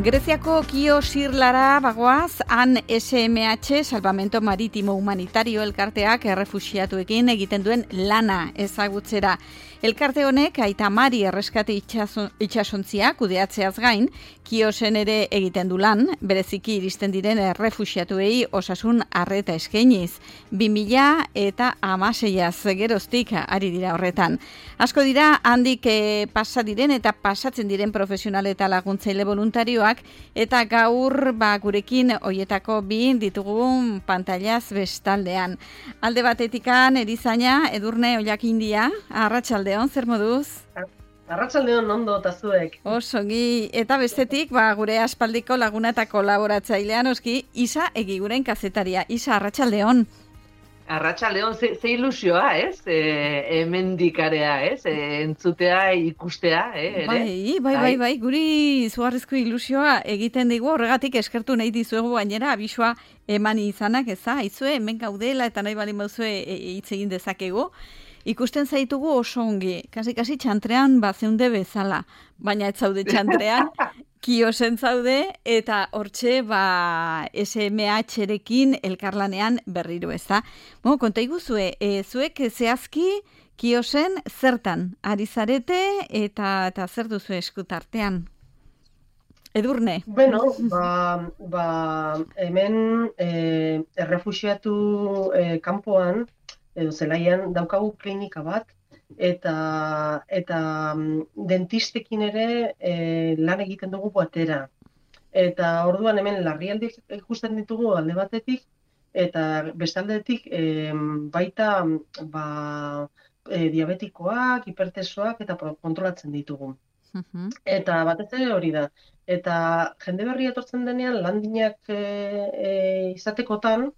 Greziako Kio Sirlara bagoaz, han SMH, Salvamento Marítimo Humanitario elkarteak errefuxiatuekin egiten duen lana ezagutzera. Elkarte honek Aita Mari erreskate itsasontzia kudeatzeaz gain, Kiosen ere egiten du lan, bereziki iristen diren errefuxiatuei osasun arreta eskainiz. 2016 geroztik ari dira horretan. Asko dira handik pasa diren eta pasatzen diren profesional eta laguntzaile voluntarioak, eta gaur gurekin hoietako bi ditugun pantailaz bestaldean. Alde batetikan erizaina Edurne Ollakindia, arratsaldeon, zer moduz? Arratsaldeon ondo eta zuek. Osongi, eta bestetik gure aspaldiko laguna eta kolaboratzailean oski Isa Egiguren kazetaria. Isa, arratsaldeon. Arratsaldeon, ze ilusioa, ez? Hemendikarea, ez? Entzutea, ikustea, ere? Bai, guri zuharrezko ilusioa egiten digu, horregatik eskertu nahi dizuegu gainera, abisua eman izanak, eza? Aizue, hemen gaudela eta nahi baldin bauzue hitz egin dezakegu. Ikusten zaitugu oso ongi, kasi txantrean zeunde bezala, baina ez zaude txantrean, Kiosen zaude, eta hortxe SMH-erekin elkarlanean berriro, ez da? Konta iguzue, zuek zehazki Kiosen zertan ari zarete eta zer duzu eskutartean? Edurne? Bueno, hemen errefuxiatu kanpoan, edo zelaian daukagu klinika bat, eta dentistekin ere lan egiten dugu batera. Eta orduan hemen larrialdiak ikusten ditugu alde batetik, eta bestaldetik baita diabetikoak, hipertensoak eta kontrolatzen ditugu. Eta batez ere hori da. Eta jende berria etortzen denean landinak izatekotan,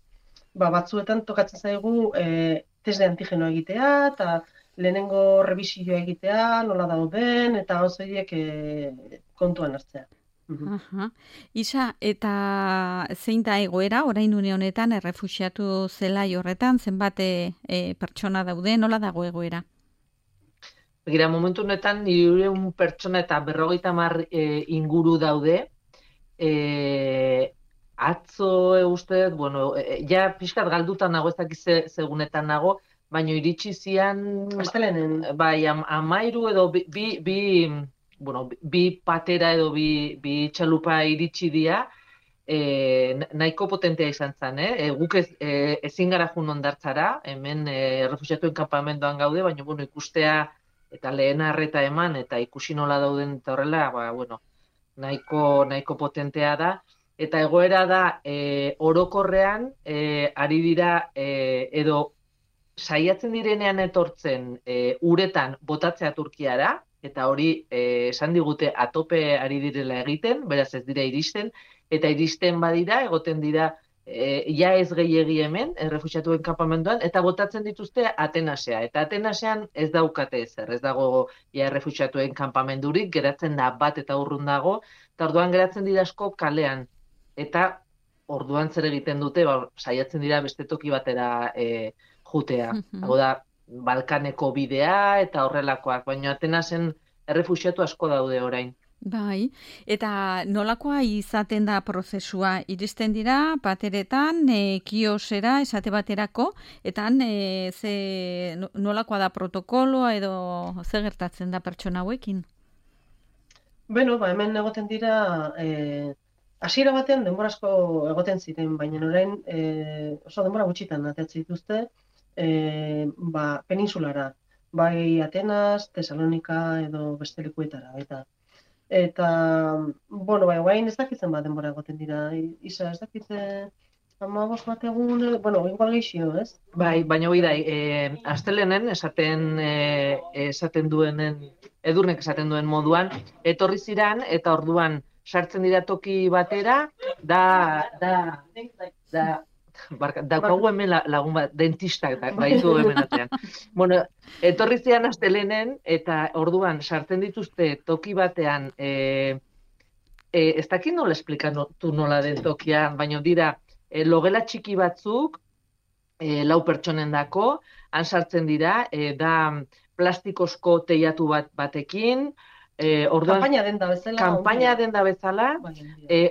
batzuetan tokatzen zaigu test de antigeno egitea, eta lehenengo rebisioa egitea, nola dauden, eta horiek kontuan hartzea. Isa, eta zein da egoera, orain une honetan, errefuxiatu zelai horretan, zenbat pertsona daude, nola dago egoera? Begira, momentu honetan, 200 pertsona eta 50 inguru daude. Atzo uste, ja pixkat galdutan nago, ez dakiz segunetan nago, baina iritsi zian... Astelenen. Bai, 13 edo bi patera edo bi txalupa iritsi dira, nahiko potentea izan zen, guk ezin gara jun ondartzara, hemen errefuxiatuen kanpamenduan gaude, baina ikustea eta lehen arreta eman, eta ikusi nola dauden eta horrela, nahiko potentea da. Eta egoera da, orokorrean, ari dira, edo saiatzen direnean etortzen uretan botatzea Turkiara, eta hori esan digute atope ari direla egiten, beraz ez dira iristen, eta iristen badira, egoten dira, ja ez gehiegi hemen, errefuxiatuen kanpamenduan, eta botatzen dituzte Atenasea. Eta Atenasean ez daukate ezer, ez dago errefuxiatuen kanpamendurik, geratzen da bat eta urrun dago, eta orduan geratzen dira asko kalean. Eta orduan zer egiten dute, saiatzen dira beste toki batera jutea. Hau da, Balkaneko bidea eta horrelakoak, baina Atenasen errefuxiatu asko daude orain. Bai, eta nolakoa izaten da prozesua? Iristen dira pateretan, Kiosera esate baterako, eta nolakoa da protokoloa edo zer gertatzen da pertsona hauekin? Bueno, hemen egoten dira... Hasiera batean denbora asko egoten ziren, baina orain oso denbora gutxitan ateatzen dituzte peninsulara, bai Atenas, Tesalonika edo beste lekuetara. Eta guain ez dakitzen denbora egoten dira. Isa, ez dakitzen 15 bat egun, igual geixio, ez? Bai, baina hori da, astelenen esaten duenen, Edurnek esaten duen moduan, etorri ziran eta orduan sartzen dira toki batera, daukagu hemen lagun bat, dentistak baitu hemen atean. Etorri zian astelenen, eta orduan sartzen dituzte toki batean, ez dakit nola esplikatu nola den tokian, baina dira, logela txiki batzuk, 4 pertsonen dako, han sartzen dira, da plastikozko teiatu batekin, Orduan, Kanpaina denda bezala. kanpaina denda bezala, Bai, handia.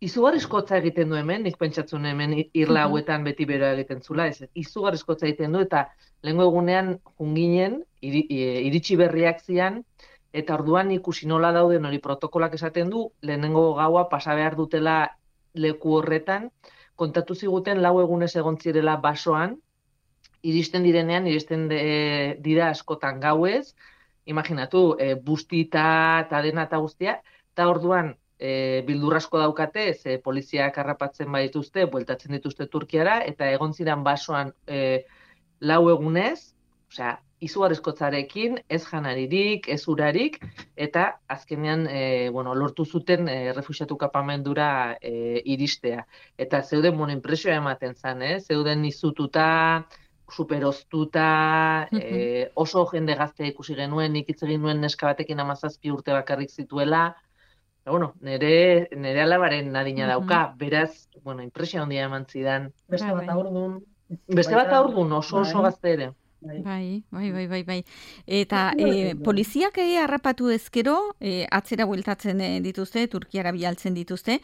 izugarrizkotza egiten du hemen, nik pentsatzen hemen irla hauetan beti beroa egiten zula, izugarrizkotza egiten du, eta lehengo egunean junginen, iritsi berriak zian, eta orduan ikusi nola dauden hori protokolak esaten du, lehenengo gaua pasa behar dutela leku horretan, kontatu ziguten 4 egunez egon zirela basoan, iristen dira askotan gauez, imaginatu, bustita eta dena eta guztia, eta orduan, bildur asko daukate, ze poliziak harrapatzen badituzte, bueltatzen dituzte Turkiara, eta egon ziren basoan 4 egunez, osea, izugarrizkotzarekin, ez janaririk, ez urarik, eta azkenean, lortu zuten refuxiatu kapamendura iristea. Eta zeuden, impresioa ematen zen, zeuden izututa, superoztuta, oso jende gaztea ikusi genuen, nik hitz egin nuen neska batekin 17 urte bakarrik zituela, nire alabaren adina dauka, beraz, impresio handia eman zidan. Beste bat aurdun. Beste bat aurdun, oso gazte ere. Bai. Eta poliziak harrapatu ezkero, atzera bueltatzen dituzte, Turkiara bialtzen dituzte,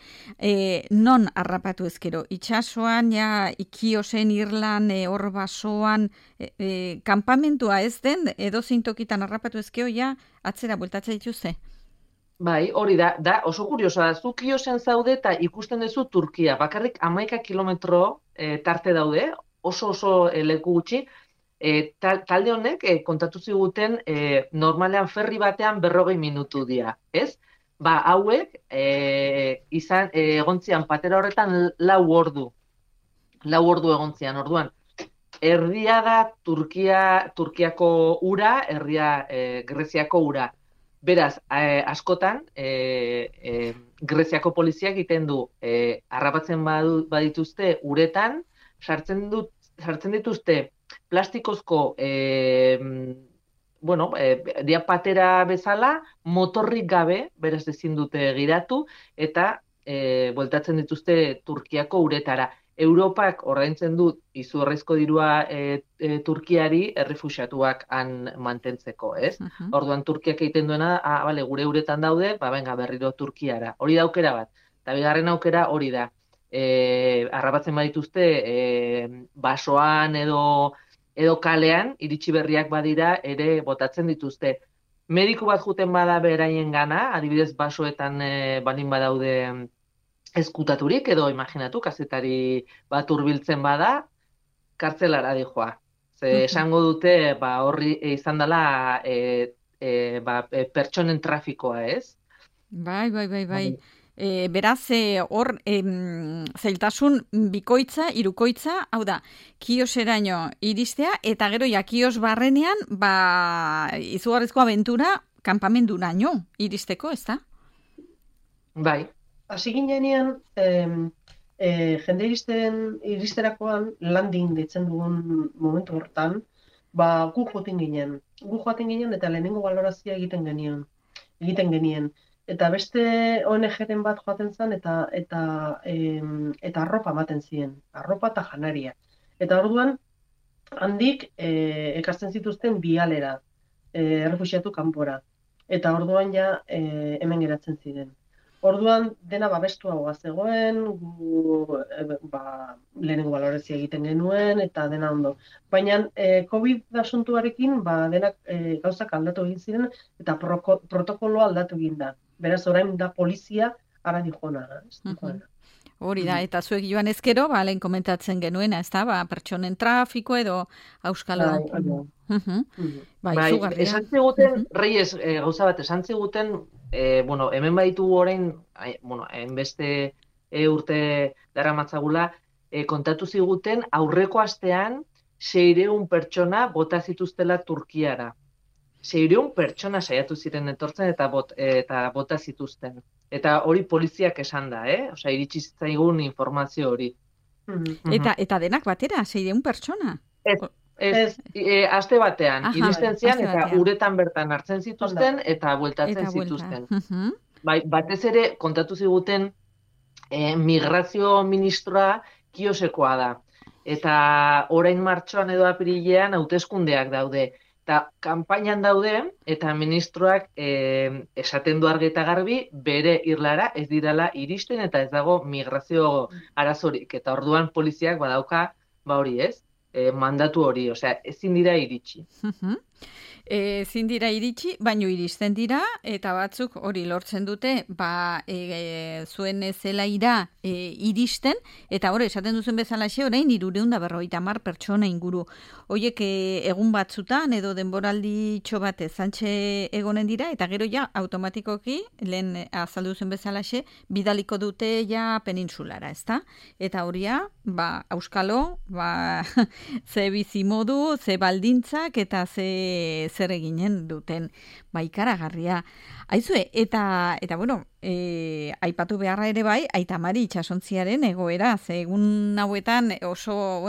non harrapatu ezkero? Itxasoan, Ikiosen, Irlan, hor basoan, kanpamentua ez den, edozein tokitan harrapatu ezkero, atzera bueltatzen dituzte? Bai, hori da oso kuriosoa da, zuk Ikiosen zaude eta ikusten duzu Turkia, bakarrik 11 kilometro tarte daude, oso leku gutxi, talde honek kontatu ziguten normalean ferri batean 40 minutu dira, ez? Hauek egontzian patera horretan 4 ordu. 4 ordu egontzian, orduan. Erdia da Turkiako ura, erdia Greziako ura. Beraz, askotan, Greziako poliziak egiten du, harrapatzen badituzte uretan, sartzen dituzte plastikozko dia patera bezala, motorrik gabe, beraz ezin dute giratu, eta bueltatzen dituzte Turkiako uretara. Europak ordaintzen du izugarrizko dirua Turkiari errefuxiatuak han mantentzeko, ez? Orduan Turkiak egiten duena, gure uretan daude, berriro Turkiara. Hori da aukera bat. Eta bigarren aukera hori da. Harrapatzen badituzte basoan edo kalean, iritsi berriak badira, ere botatzen dituzte. Mediku bat juten bada beraien gana, adibidez basoetan balin badaude ezkutaturik, edo imaginatu, kazetari bat hurbiltzen bada, kartzelara dijoa. Esango dute, horri izan dela pertsonen trafikoa, ez? Bai. Beraz, hor, zailtasun bikoitza, hirukoitza, hau da, Kioseraino iristea, eta gero Kios barrenean, izugarrizko abentura, kanpamenduraino iristeko, ez da? Bai. Hasi ginean, jende iristerakoan, landing ditzen dugun momentu hortan, gu joaten ginen. Gu joaten ginen eta lehenengo balorazioa egiten genien. Eta beste ONG-ren bat joaten zen eta arropa ematen ziren, arropa eta janaria. Eta orduan, handik ekartzen zituzten bialera, errefuxiatu kanpora. Eta orduan hemen geratzen ziren. Orduan, dena babestuagoa zegoen, lehenengo balorazioa egiten genuen, eta dena ondo. Baina, COVID asuntuarekin, denak gauzak aldatu egin ziren, eta protokoloa aldatu egin da. Beraz, orain da polizia, ara dijona. Hori da, eta zuek joan ezkero, lehen komentatzen genuena, ez da, pertsonen trafiko edo auskalo. Esan ziguten, Reyes, gauza bat, esan ziguten, hemen baditu orain, hainbeste urte daramatzagula, kontatu ziguten, aurreko astean 600 pertsona bota zituztela Turkiara. 600 pertsona saiatu ziren etortzen eta bota zituzten. Eta hori poliziak esan da, Osea, iritsi zitzaigun informazio hori. Eta denak batera, 600 pertsona? Ez, aste batean, iristen zian eta uretan bertan hartzen zituzten eta bueltatzen zituzten. Batez ere, kontatu ziguten, migrazio ministroa Kiosekoa da. Eta orain martxoan edo apirilean hauteskundeak daude. eta kanpainan daude, eta ministroak esaten du argi eta garbi, bere irlara ez dirala iristen, eta ez dago migrazio arazorik. Eta orduan poliziak badauka, hori ez, mandatu hori, osea, ezin dira iritsi. Ezin dira iritsi, baino iristen dira, eta batzuk hori lortzen dute, zuen zelaira iristen, eta hori esaten duzen bezalaxe, orain 350 pertsona inguru. Hoiek egun batzutan edo denboraldi txobate zantxe egonen dira, eta gero ja automatikoki, lehen azaldu zen bezalaxe, bidaliko dute ja peninsulara, ezta? Eta horia, auskalo, ze bizimodu, ze baldintzak, eta zer eginen duten ikaragarria. Aizue, eta bueno, aipatu beharra ere bai, Aita Mari itsasontziaren egoera, ze egun hauetan oso,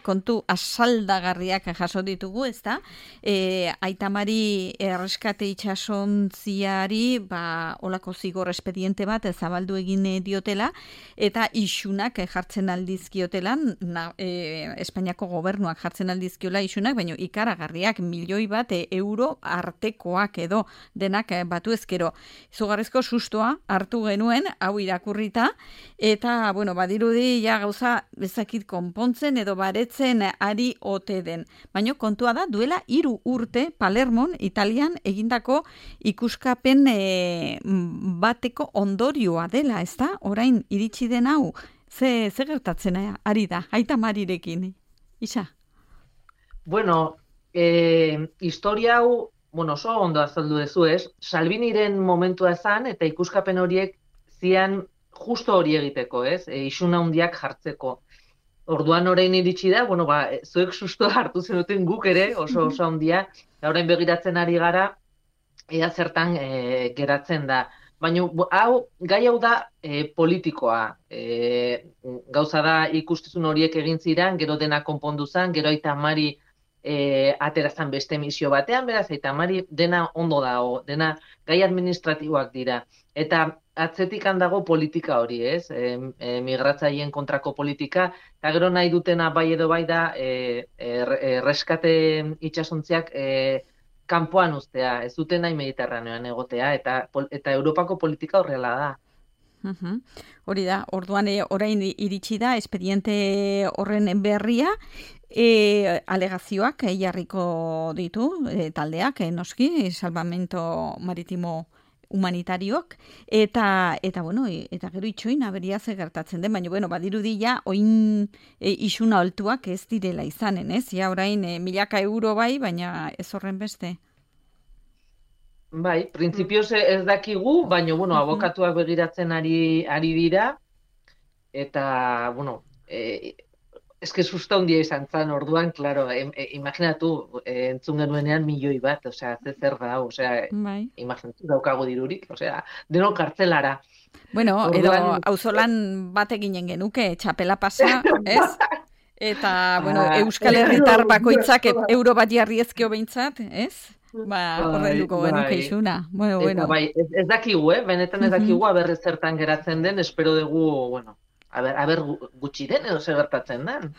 kontu asaldagarriak jaso ditugu, ezta? Aita Mari erreskate itsasontziari, olako zigor espediente bat zabaldu egin diotela, eta isunak jartzen aldizkiotelan, Espainiako gobernuak jartzen aldizkiola isunak, baina ikaragarriak €1.000.000 euro artekoak edo denak batu ezkero. Izugarrizko sustoa hartu genuen, hau irakurrita, eta, badirudi ja gauza bezakit konpontzen edo baretzen ari ote den. Baina kontua da, duela 3 urte Palermon, Italian, egindako ikuskapen bateko ondorioa dela, ezta? Orain iritsi den hau, ze gertatzen ari da, Aita Marirekin, Isa? Historia hau, oso ondo azaldu dezu, ez? Salviniren momentua ezan, eta ikuskapen horiek zian justo hori egiteko, ez? Isun handiak jartzeko. Orduan orain iritsi da, zuek susto hartu zenuten guk ere, oso handia, orain begiratzen ari gara, ea zertan geratzen da. Baina gai hau da politikoa. Gauza da ikustezun horiek egin ziren, gero dena konpondu zen, gero Aita Mari aterazan beste misio batean, beraz, Aita Mari dena ondo dago, dena gai administratiboak dira. Eta atzetik handago politika hori, ez? Migratzaileen kontrako politika, eta gero nahi dutena bai edo bai da erreskate itsasontziak kanpoan uztea, ez duten nahi Mediterraneoan egotea, eta Europako politika horrela da. Hori da, orduan orain iritsi da, espediente horren berria, alegazioak jarriko ditu taldeak, noski, salvamento maritimo humanitarioak, eta gero itxoin aberia ze gertatzen den, baina badirudi ja oin isuna altuak ez direla izanen, ez? Ja orain €1.000.000 bai, baina ez horren beste. Bai, printzipioz ez dakigu, baina abokatuak begiratzen ari dira, eta eske susta handia izan zen orduan, claro, imaginatu, entzun genuenean €1.000.000, osea, zer da, osea, imaginatu daukago dirurik, osea, denok kartzelara. Edo auzolan bat eginen genuke, txapela pasa, ez? Eta, Euskal Herritar bakoitzak euro bat jarri ezkeo behintzat, ez? Horrenduko genuke isuna. Bai, ez dakigu, benetan ez dakigu, aber zertan geratzen den, espero dugu, aber gutxi den edo zer gertatzen den.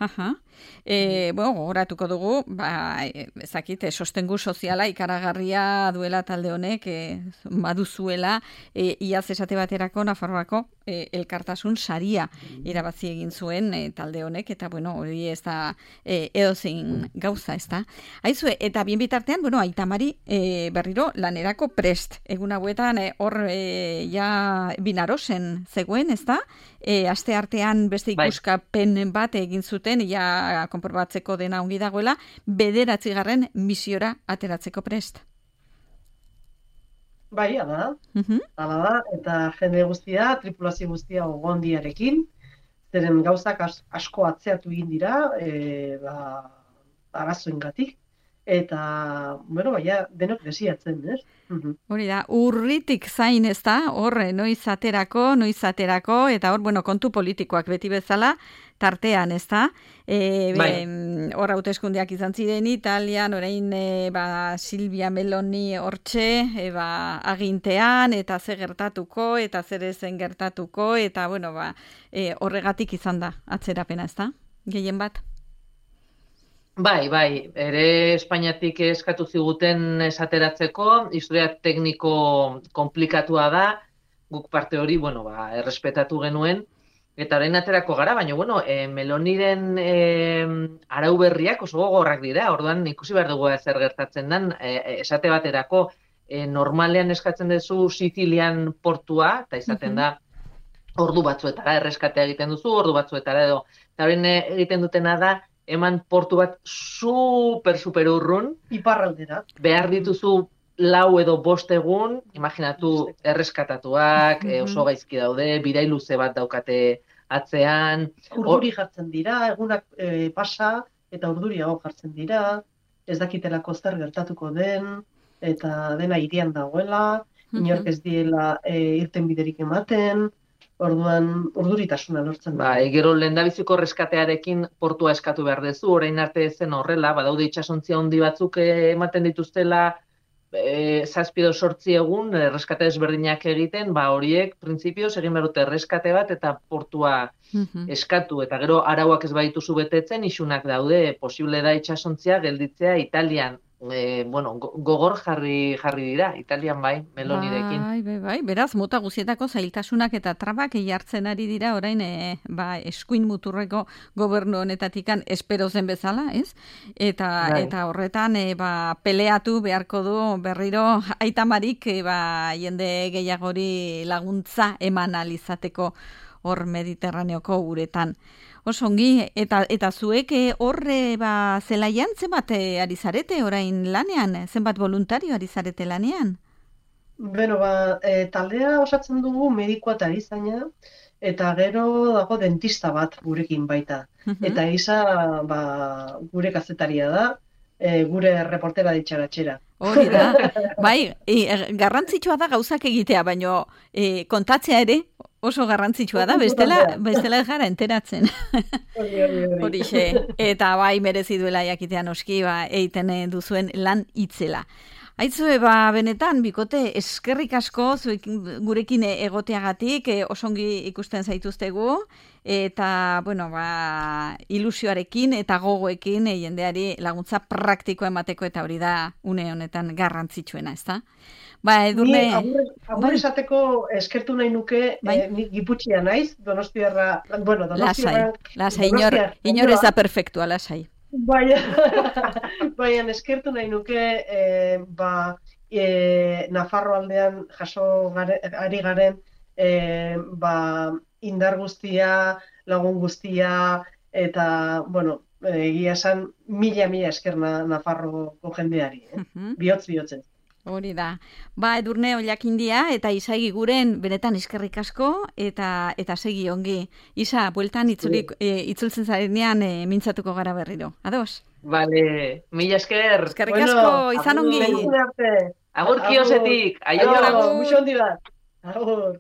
Gogoratuko dugu, ezakit, sostengu soziala ikaragarria duela talde honek, baduzuela, iaz esate baterako Nafarroako elkartasun saria irabazi egin zuen talde honek, eta hori ez da edozein gauza, ez da. Aizue, eta bien bitartean, Aita Mari berriro lanerako prest. Egun hauetan hor ja Binarosen zegoen, ez da? Aste artean beste ikuskapen bat egin zuten, ja konprobatzeko dena ongi dagoela, 9. misiora ateratzeko prest. Bai, hala da, eta jende guztia, tripulazio guztia ogondiarekin, zeren gauzak asko atzeatu egin dira, arazoengatik, eta, denok desiatzen, ez? Hori da, urritik zain, ez da, horre, noiz aterako, eta hor, kontu politikoak beti bezala, tartean, ez da? Hor hauteskundeak izan ziren Italian, orain Silvia Meloni hortxe, agintean, eta ze gertatuko, eta zer ezen gertatuko, eta, horregatik izan da, atzerapena, ez da? Gehien bat? Bai, ere Espainiatik eskatu ziguten esateratzeko, historia tekniko konplikatua da, guk parte hori, errespetatu genuen, eta orain aterako gara, baina, Meloniren arau berriak oso gogorrak dira, orduan ikusi behar dugu zer gertatzen den, esate baterako, normalean eskatzen duzu Sizilian portua, eta izaten da, ordu batzuetara erreskatea egiten duzu, ordu batzuetara edo, eta orain egiten dutena da, eman portu bat super urrun, Iparraldera. behar dituzu 4 edo 5 egun, imaginatu erreskatatuak, oso gaizki daude, bidai luze bat daukate atzean. Urduri jartzen dira, egunak pasa, eta urduriago jartzen dira, ez dakitelako zer gertatuko den, eta dena hirian dagoela, inork ez diela irten biderik ematen, orduan urduritasuna lortzen da. Gero lehendabiziko reskatearekin portua eskatu behar duzu, orain arte zen horrela, badaude itsasontzia handi batzuk ematen dituztela 7 edo 8 egun erreskate ezberdinak egiten, horiek printzipioz egin behar dute erreskate bat eta portua eskatu, eta gero arauak ez badituzu betetzen, isunak daude, posible da itsasontzia gelditzea Italian. Gogor jarri dira, Italian Melonirekin. Bai, beraz, mota guzietako zailtasunak eta trabak jartzen ari dira orain eskuin muturreko gobernu honetatikan espero zen bezala, ez? Eta horretan peleatu beharko du berriro Aitamarik jende gehiagori laguntza eman alizateko hor Mediterraneoko uretan. Osongi, eta zuek horre zelaian zenbat ari zarete orain lanean? Zenbat voluntario ari zarete lanean? Taldea osatzen dugu medikoa eta erizaina, eta gero dago dentista bat gurekin baita. Eta Isa gure kazetaria da, gure reportera ditxaratxera. Hori da, garrantzitsua da gauzak egitea, baino kontatzea ere oso garrantzitsua da, bestela ez gara enteratzen. Horixe, eta merezi duela jakitea noski, eiten duzuen lan itzela. Aitzue, benetan, bikote, eskerrik asko gurekin egoteagatik, osongi ikusten zaituztegu, eta, ilusioarekin eta gogoekin jendeari laguntza praktikoa emateko, eta hori da une honetan garrantzitsuena, ezta? Edurne... Agur esateko eskertu nahi nuke, nik Giputxia naiz, Donostiarra... Lasai, inor ez da perfektua, lasai. Baina eskertu nahi nuke, Nafarro aldean jaso ari garen, indar guztia, lagun guztia, eta, egia esan, mila esker Nafarroko jendeari, bihotz-bihotzen. Hori da. Edurne Ollakindia eta Isaigi guren benetan eskerrik asko eta segi ongi. Isa, bueltan itzultzen zarenean mintzatuko gara berriro. Ados? Vale, mila esker. Eskerrik asko, izan ongi. Agur kiosetik. Agur, muxo handi bat. Agur.